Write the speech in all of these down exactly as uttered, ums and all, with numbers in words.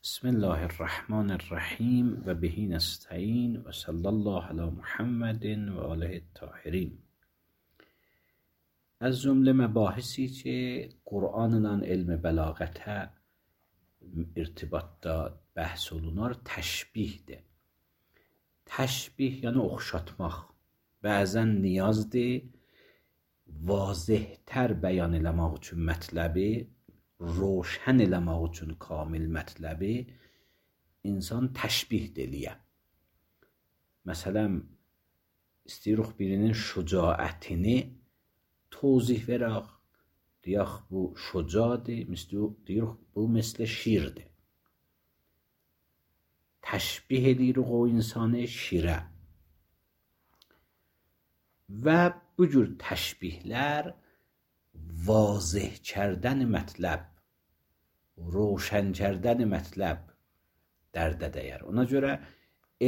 بسم الله الرحمن الرحیم و به نستعین و صلی الله علی محمد و آله الطاهرین. از جمله مباحثی که قرآن نان علم بلاغت ارتباط داد بحث olunar رو تشبیه ده. تشبیه یعنی اخشاتmaq. بعضا نیاز ده واضح تر بیان eləmək üçün mətləbi, روشن eləmək üçün kamil mətləbi insan təşbih eləyə. Məsələn, istəyirik birinin şücaətini توضیح verək. Deyək bu şücadır, deyirik bu مثل şirdir. Təşbih edirik o insanı şirə. Və bu cür təşbihlər واضح کردن مطلب، روشن کردن مطلب درdə dəyər. Ona görə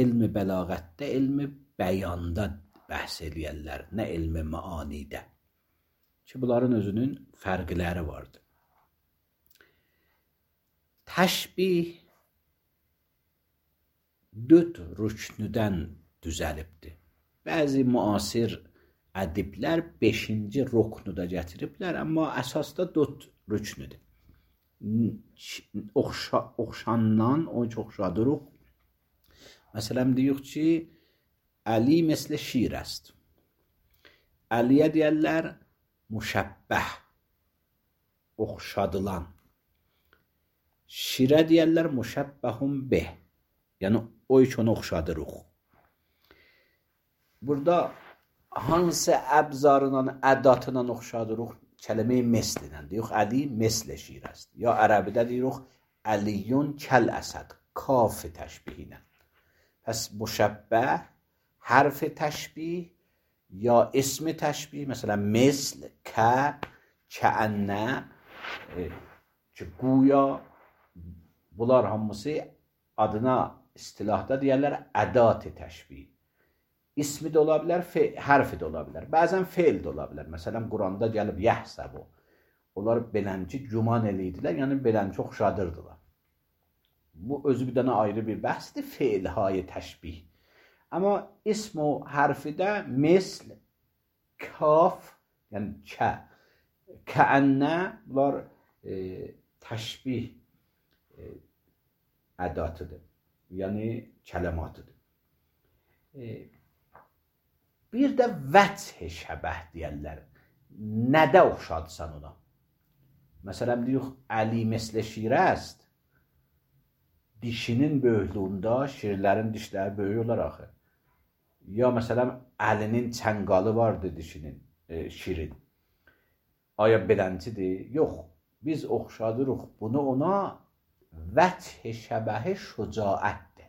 elm bəlağətdə elm bəyanda bəhs eləyərlər, nə elm maanidə. Ki bunların özünün fərqləri vardır. Təşbih dörd rüknüdən düzəlibdir. Bəzi müasir ədiblər beşinci ruknu da gətiriblər, amma əsasda dörd rüknüdür. Oxşa, oxşandan, o ki oxşadırıq. Məsələn, deyirik ki, Əli مثل şir است. Əliyə deyərlər müşəbbəh, oxşadılan. Şirə deyərlər müşəbbəhun beh, yəni o ki onu oxşadırıq. Burada hansı əbzarla, ədatla oxşadırıq? Kəlmə-i mesllə deyirik, Əli mesl şir است. Ya ərəbidə deyirik, Əliyun kəl əsəd, kaf təşbihlə. Pəs müşəbbəh, hərf təşbih ya ism təşbih, məsələn, mesl, kə, kəənnə, ki, güya bunlar hamısı adına istilahda deyərlər ədat təşbih. İsmi də ola bilər, hərfi də ola bilər. Bəzən feil də ola bilər. Məsələn, Quranda gəlib yəhsəbu. Onlar belənci güman eləyirdilər, yəni belənci oxşadırdılar. Bu özü bir dənə ayrı bir bəhsdir, feilhay təşbih. Amma ism o hərfidə mesl, kaf, yəni kə, kəənnə, bunlar e, təşbih e, ədatıdır. Yəni kələmatıdır. E, Bir də vəch şəbəh deyərlər. Nədə oxşadsan ona? Məsələn, deyirik, Əli مثل şir است. Dişinin böyüklüyündə şirlərin dişləri böyük olar axı. Ya məsələn, Əlinin çəngalı vardı dişinin, e, şirin. Aya beləncidir? Yox. Biz oxşadırıq bunu ona vəch şəbəh şücaətdir.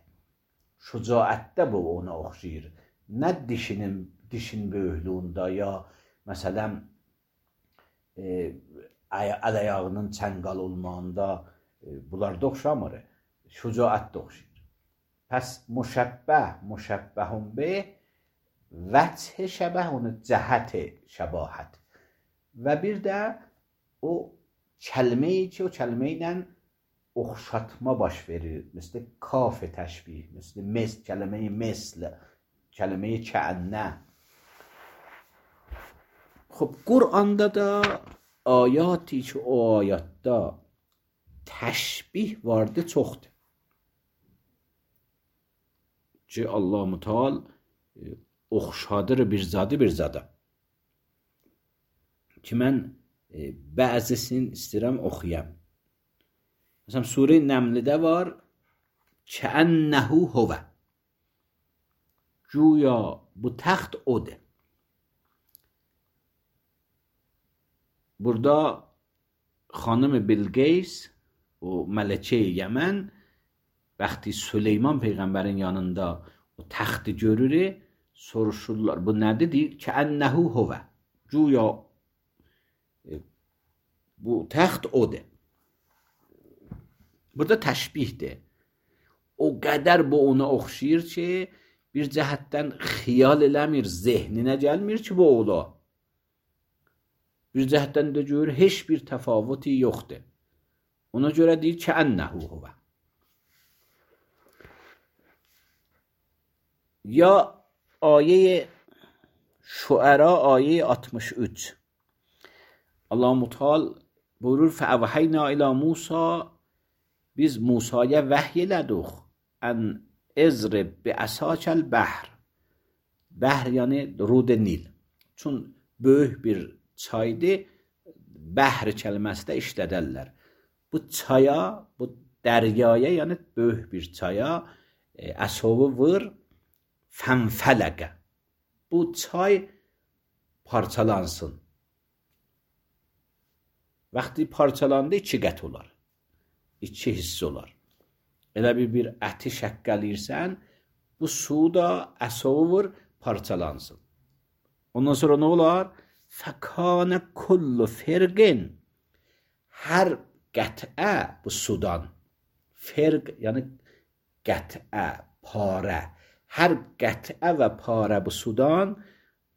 Şücaətdə bu ona oxşayır. Nə dişinin dişin böyüklüyündə ya məsələn e, əl ayağının çəngal olmağında e, bunlarda oxşamır. Şücaətdə oxşayır. Pəs müşəbbəh, müşəbbəhun beh, vəch şəbəh onun cəhət şəbahət. Və bir də o kəlməyi ki, o kəlmə ilə oxşatma baş verir. Məsələn, kaf təşbih, məsələn, mesl, kəlməyi mesl, kəlməyi kəənnə. Xub, Quranda da ayaتی ki o ayatda təşbih vardı, çoxdur. Ki Allah Müteal oxşadır bir zadı bir zada. Ki mən e, bəzisini istəyirəm oxuyam. Məsələn, Surə Nəmlidə var, kəənnəhu huvə. Güya bu təxt odur. Burada xanım Bilqeys, o mələkə Yəmən, vaxtı Süleyman Peyğəmbərin yanında o təxti görür, soruşurlar, bu nədir? Deyir, kəənnəhu huvə. Güya e, bu təxt odur. Burada təşbihdir. O qədər bu ona oxşayır ki, bir cəhətdən xiyal eləmir, zehninə gəlmir ki, bu ola. Bir cəhətdən də görür, heç bir təfavuti yoxdur. Ona görə deyir ki, ənəhu huvə. یا آیه شعرا آیه altmış üç. Allah Muteal buyurur فَاَوْحَيْنَا اِلَى موسا biz Musa'ya vahyeledik en ezrib bi asakal bahr. Bahr yani rud Nil. Çün böyük bir çaydı. Bahr kelimesi de işlederler. Bu çaya, bu deryaya yani böyük bir çaya e, asovu vur fenfelege. Bu çay parçalansın. Vakti parçalandı iki qət olar. İki hissə olar. Elə bir bir əti şəkkəlirsən, bu su da əsovu vur parçalansın. Ondan sonra nə olar? Fəkânə kullu firqin. Hər qətə bu sudan. Firq yəni qətə, parə. Hər qətə və parə bu sudan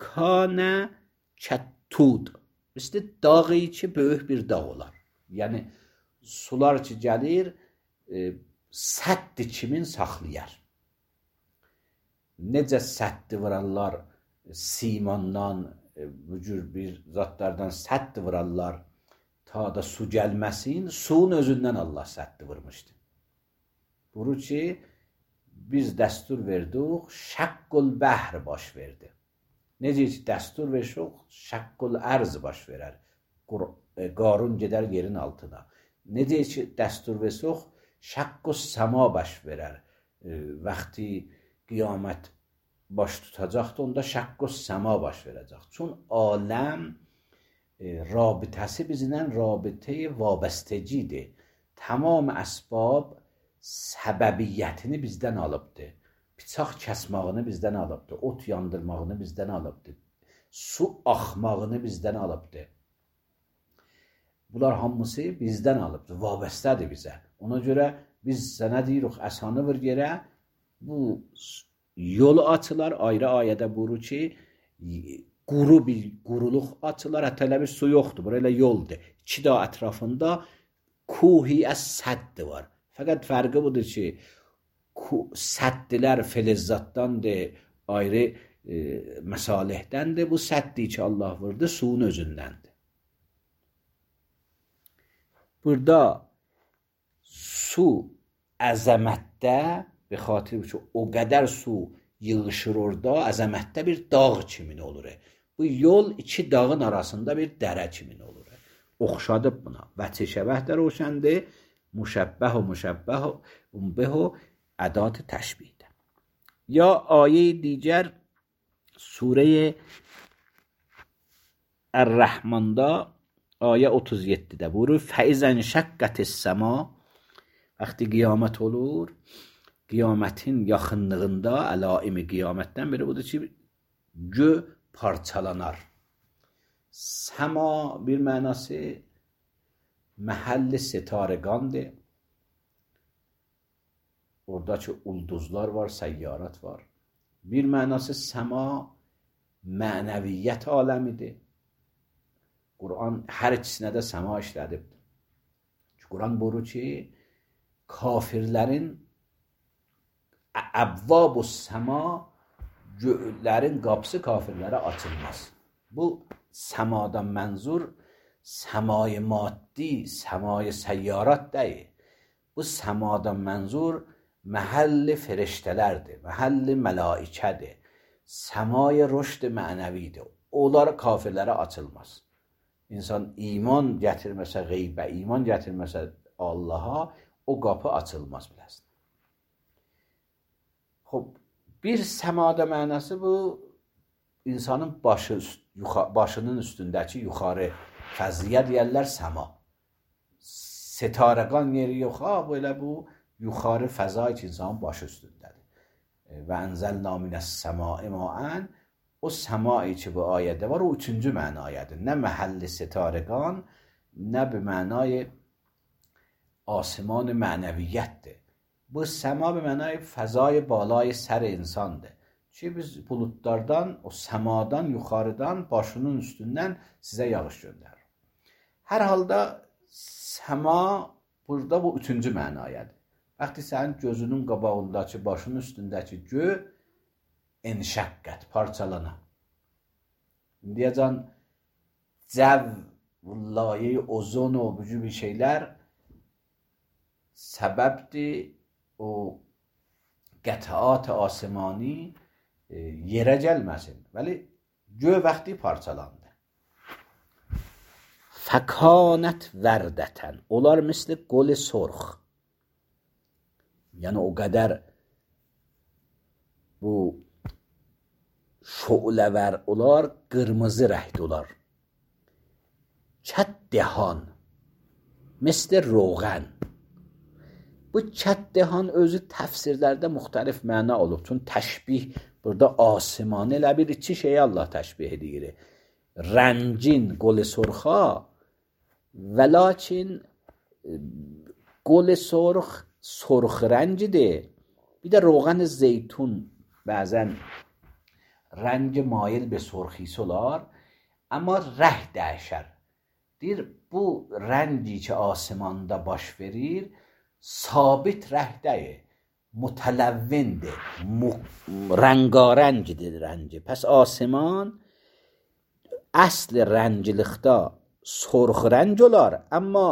kânə kəttud. İşte dağı ki böyük bir dağ olar. Yəni sular ki gəlir e, səddi kimin saxlayar. Necə səddi vurarlar simandan, e, bu cür bir zatlardan səddi vurarlar ta da su gəlməsin, suyun özündən Allah səddi vurmuşdu. Buru ki biz dəstur verdik, şəqqul bəhr baş verdi. Necə ki dəstur versək, şəqqul ərz baş verər. Qarun gedər yerin altına. Necə ki dəstur versək, şəqqus səma baş verər. E, vaxtı qiyamət baş tutacaqdır, onda şəqqus səma baş verəcək. Çün aləm e, rabitəsi bizlə rabitə vabəstəcidir. Tamam əsbab səbəbiyyətini bizdən alıbdır. Bıçaq kəsmağını bizdən alıbdır. Ot yandırmağını bizdən alıbdır. Su axmağını bizdən alıbdır. Bunlar hamısı bizdən alıbdır. Vabəstədir bizə. Ona görə biz sənə deyirik, əsanı vur yerə. Bu yol açılar. Ayrı ayədə buyurur ki, quru bir quruluq açılar. Hətta elə bir su yoxdur. Burayla yoldur. İki dağ ətrafında kuhi əs-səddi var. Fəqət fərqi budur ki, səddilər felizzatdandır, ayrı e, məsalihdandır. Bu səddi ki Allah vurdu, suyun özündəndir. Burada su əzəmətdə, bir xatir ki o qədər su yığışır orada, əzəmətdə bir dağ kimin olur. Bu yol iki dağın arasında bir dərə kimin olur. Oxşadıb buna. Vəçi şəbəh də roşəndir. Müşəbbəh و مشبه به ادات تشبیه ده. یا آیه دیگر سوره الرحمن دا آیه otuz yeddidə buyurur فَإِذَا انشَقَّتِ السَّمَاء وقتی qiyamət olur, qiyamətin yaxınlığında əlaimi qiyamətdən biri budur ki gö parçalanar. Səma bir mənası məhəlli setaregandır. Oradakı ulduzlar var, səyyarat var. Bir mənası səma mənəviyyət aləmidir. Quran hər ikisinə də səma işlədibdir. Quran buyurur ki, kafirlərin əbvab-u səma göylərin qapısı kafirlərə açılmaz. Bu səmadan mənzur səmai maddi, səmai səyyarat deyil. Bu səmadan mənzur məhəlli firiştələrdir, məhəlli mələikədir. Səmai rüşd mənəvidir. Onlar kafirlərə açılmaz. İnsan iman gətirməsə qeybə, iman gətirməsə Allaha, o qapı açılmaz biləsin. Xob, bir səmada mənası bu, insanın başı, başının üstündəki yuxarı fəzliyə deyərlər səma. Setarəqan yeri yox, ha, belə bu yuxarı fəza ki insanın başı üstündədir. Və ənzəlna minəs-səmai maən, o səmai ki bu ayədə var, o üçüncü mənayədir. Nə məhəlli setarəqan, nə bir mənayı آسمان mənəviyyətdir. Bu səma bir mənayı fəzai balay sər insandır. Ki biz buludlardan, o səmadan, yuxarıdan, başının üstündən sizə yağış göndərir. Hər halda səma burada bu üçüncü mənayədir. Vaxtı sənin gözünün qabağındakı, başının üstündəki gö enşakkat, parçalana. Diyeceğim, cev, laye, ozon o bu gibi şeyler sebepti o qət'at asimani e, yerə gəlməsin. Vəli göy vaxtı parçalandı. Fəkanət vərdətən. Onlar misli qol-i sorx. Yəni o qədər bu şu'ləvər olar, qırmızı rəngdə olar. Çəddihan misli roğən. Bu çəddihan özü təfsirlərdə müxtəlif məna olub. Çün təşbih burada asimanı elə bir iki şeyi Allah təşbih edir. Rəngin qol-i sorxa və lakin qol-i sorx sorx rəngidir. Bir də roğan zeytun bəzən rəng mail be sorxisi olar, amma rəh dəyişər. Deyir, bu rəngi ki asimanda baş verir, sabit rəhdəyir, mütələvvindir, rəngarəngidir rəngi. Pəs asiman əsl rəngilikdə sorx rəng olar, amma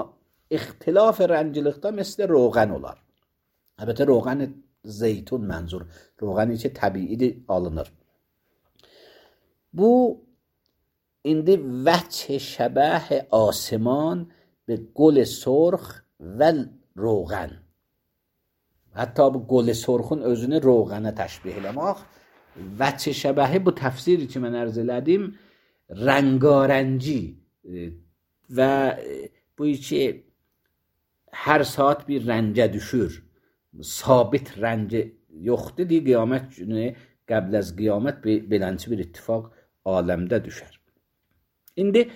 ixtilaf rəngilikdə misli roğan olar. Əlbəttə roğan zeytun mənzur, roğani ki təbiidir alınır. Bu indi vجه şəbəh asiman به گل سرخ و روغن. Hətta bu qol-i sorxun özünü roğana təşbih eləmək vجه şəbəhi bu təfsiri ki mən ərz elədim rəngarəngi və bu ki hər saat bir rəngə düşür, sabit rəngi yoxdur deyə qiyamət günü qəbl az qiyamət belənçi bir ittifaq aləmdə düşər. İndi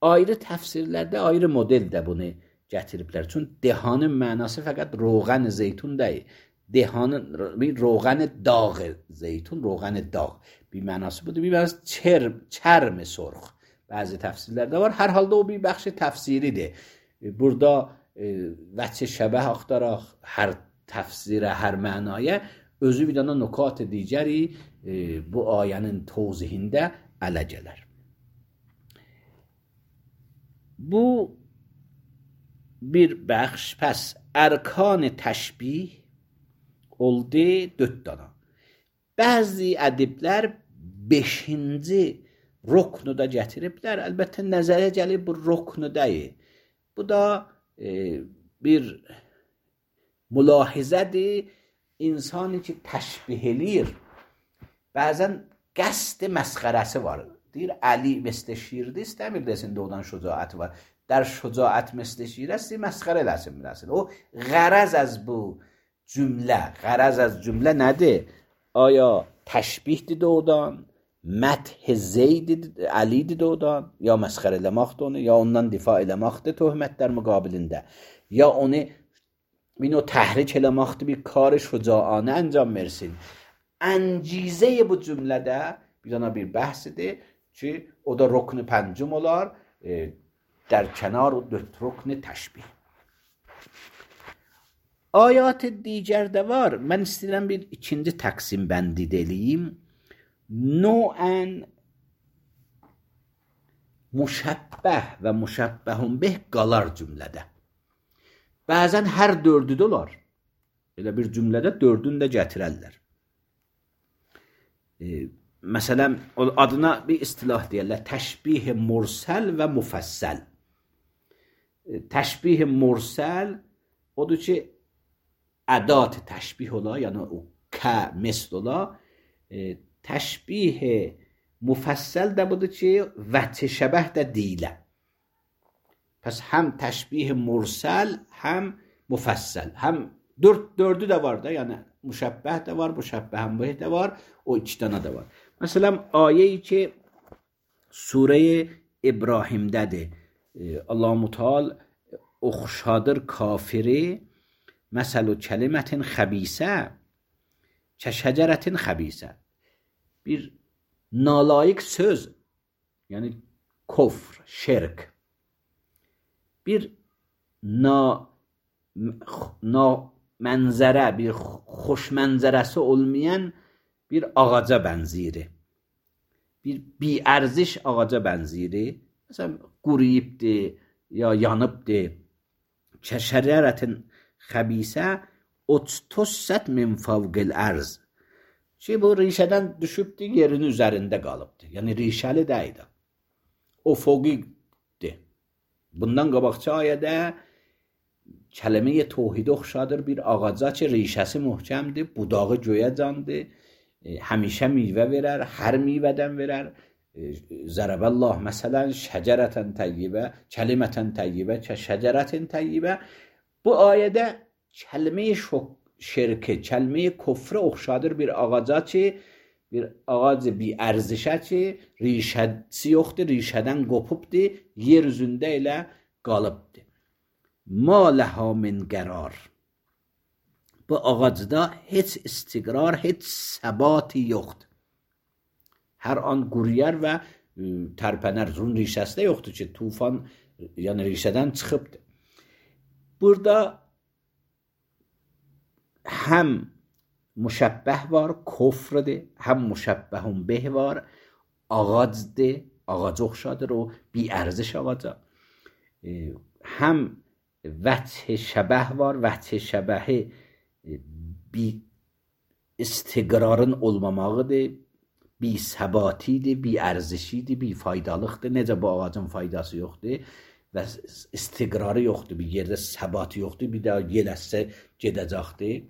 ayrı təfsirlərdə ayrı model də bunu gətiriblər. Çünki dehanın mənası fəqət roğan zeytun deyil. Dehanın bir roğan dağ zeytun, roğan dağ bir mənası budur. Bir mənası çərm, çərm sorx. Bəzi təfsirlərdə var. Hər halda o bir bəxşi təfsiridir. Burada e, vəcə şəbəh axtaraq hər təfsirə, hər mənaya özü bir dana nukat digəri e, bu ayənin tozihində ələ gələr. Bu bir bəxş. Pəs ərkan təşbih oldu dörd dana. Bəzi ədiblər beşinci roknu da gətiriblər. Əlbəttə nəzərə gəlib bu roknu deyil. Bu da e, bir mülahizədir. İnsanı ki təşbih eləyir, bəzən qəsd məsxərəsi var. Deyir, Əli məslə şiirdir, istəmir desin doğudan şücaəti var. در şücaət məslə şiir است, məsxərə eləsin biləsin. O ғرض از bu cümlə, غرض از cümlə nədir? Aya təşbihdir doğudan, məth zeydir, Əlidir doğudan, ya məsxərə eləməkdir onu, ya ondan difa eləməkdir töhmətlər müqabilində, ya onu این o təhrik eləməkdir, bir kar şücaanə انجام versin. Əncizə bu cümlədə bir dana bir bəhsidir ki, o da rukn pəncüm olar, e, در کنار o dörd rukn təşbih. Ayat digərdə var. Mən istəyirəm bir ikinci təqsim bəndi deliyim. Noən müşəbbəh və müşəbbəhun bih qalar cümlədə. Bəzən hər dördü də olar. Elə bir cümlədə dördünü də gətirərlər. E, məsələn, adına bir istilah deyərlər. Təşbih mursəl və müfəssəl. E, təşbih mursəl odur ki, ədat təşbih ola, yəni o kə, misl ola. E, təşbih müfəssəl də budur ki, vəcə şəbəh də deyilə. Pəs həm təşbih mursəl, həm müfəssəl. Həm dörd, dördü də var da, yəni müşəbbəh də var, müşəbbəhən bih də var, o iki dana da var. Məsələn, ayə-i ki, Surə-i İbrahimdədir. Allah-u Mutal oxşadır kafiri məsəl-u kəlimətin xəbisə kəşəcərətin xəbisə. Bir nalayiq söz, yəni kofr, şirk. Bir na, na mənzərə, bir xoş mənzərəsi olmayan bir ağaca bənzəyir. Bir biərziş ağaca bənzəyir. Məsələn, quruyubdur, ya yanıbdır. Kəşərərətin xəbisə ottussət min favqil ərz. Ki, bu rişədən düşübdür, yerin üzərində qalıbdır. Yəni, rişəli deyil. O foqiqdir. Bundan qabaqçı ayədə kəlmə-i tohid oxşadır bir ağaca ki, rişəsi möhkəmdir, budağı göyə candır, həmişə meyvə verər, hər meyvədən verər. Zərəbəllah, məsələn, şəcərətən təyyibə, kəlimətən təyyibə, şəcərətin təyyibə. Bu ayədə kəlmə-i şirki, kəlmə-i kufrə oxşadır bir ağaca ki, bir ağac bir ərzişə ki, rişəsi yoxdur, rişədən qopubdur, yer üzündə elə qalıbdır. Ma ləhə min qərar. Bu ağacda heç istiqrar, heç səbati yoxdur. Hər an quruyar və tərpənər. Bunun rişəsi də yoxdur ki, tufan, yəni rişədən çıxıbdır. Burada həm müşəbbəh var, kofrdir, həm müşəbbəhun beh var, ağacdır, ağaca oxşadır o, bir ərziş ağaca. Həm vəth şəbəh var, vəth şəbəhi bir istiqrarın olmamağıdır, bir səbatidir, bir ərzişidir, bir faydalıqdır. Necə bu ağacın faydası yoxdur və istiqrarı yoxdur, bir yerdə səbatı yoxdur, bir daha yeləsə gedəcəkdir.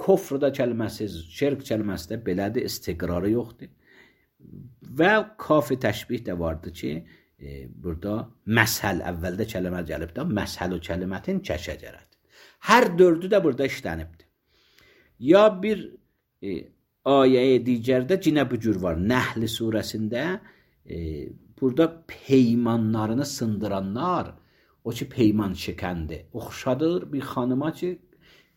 Kofrda kəlməsi, şirk kəlməsi də belədir, istiqrarı yoxdur. Və kafi təşbih də vardır ki, e, burada məshəl, əvvəldə kəlmə gəlibdir, məshəl-ü kəlimətin kəşəcərət. Hər dördü də burada işlənibdir. Ya bir e, ayəyə digərdə cinə bu cür var. Nəhl surəsində e, burada peymanlarını sındıranlar, o ki peyman şikəndi, oxşadır bir xanıma ki,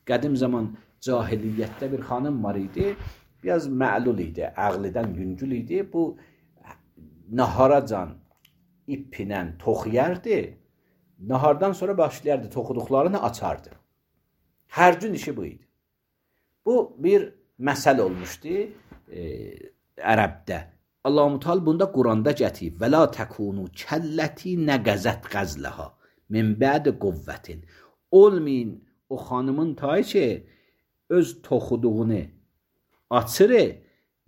qədim zaman cahiliyyətdə bir xanım var idi, biraz məlul idi, əqlidən yüngül idi. Bu naharacan ipinə toxuyardı, nahardan sonra başlayardı, toxuduqlarını açardı. Hər gün işi bu idi. Bu bir məsəl olmuşdu e, ərəbdə. Allah-u Teala bunda Quranda gətirib. Və la təkunu kəlləti nəqəzət qəzləha min bəd quvvətin. Olmayın o xanımın tayı ki, öz toxuduğunu açır,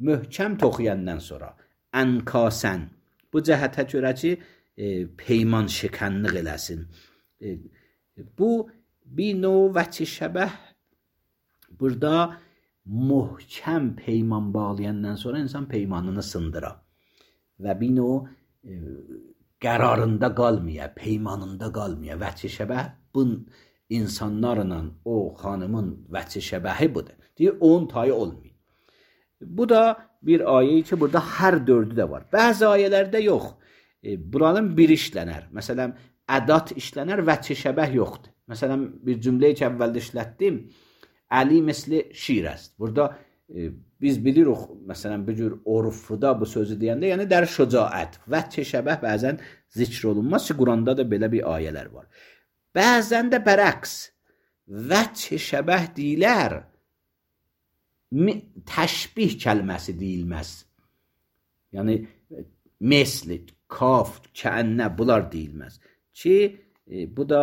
möhkəm toxuyandan sonra ənkasən. Bu cəhətə görə ki, e, peyman şikənlik eləsin. E, bu bir növ vəçi şəbəh burada möhkəm peyman bağlayandan sonra insan peymanını sındıra və bir növ e, qərarında qalmaya, peymanında qalmaya. Vəçi şəbəh bu insanlarla o xanımın vəçi şəbəhi budur. Deyir, onun tayı olmayın. Bu da bir ayə ki, burada hər dördü də var. Bəzi ayələrdə yox. E, buranın bir işlənər. Məsələn, ədat işlənər, vəçi şəbəh yoxdur. Məsələn, bir cümləyi ki, əvvəldə işlətdim, Əli misli şir است. Burada e, biz bilirik, məsələn, bir cür orufda bu sözü deyəndə, yəni dər şücaət, vəçi şəbəh bəzən zikr olunmaz ki, Quranda da belə bir ayələr var. Bəzən də bərəqs, vəçi şəbəh deyilər, təşbih kəlməsi deyilməz. Yəni, mesli, kaf, kəənnə, bunlar deyilməz. Ki, e, bu da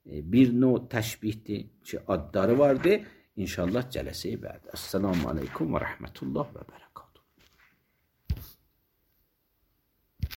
e, bir növ təşbihdir ki, adları vardır. İnşallah cələsə-i bə'd. Esselamu aleykum və rəhmətullah və bərəkət.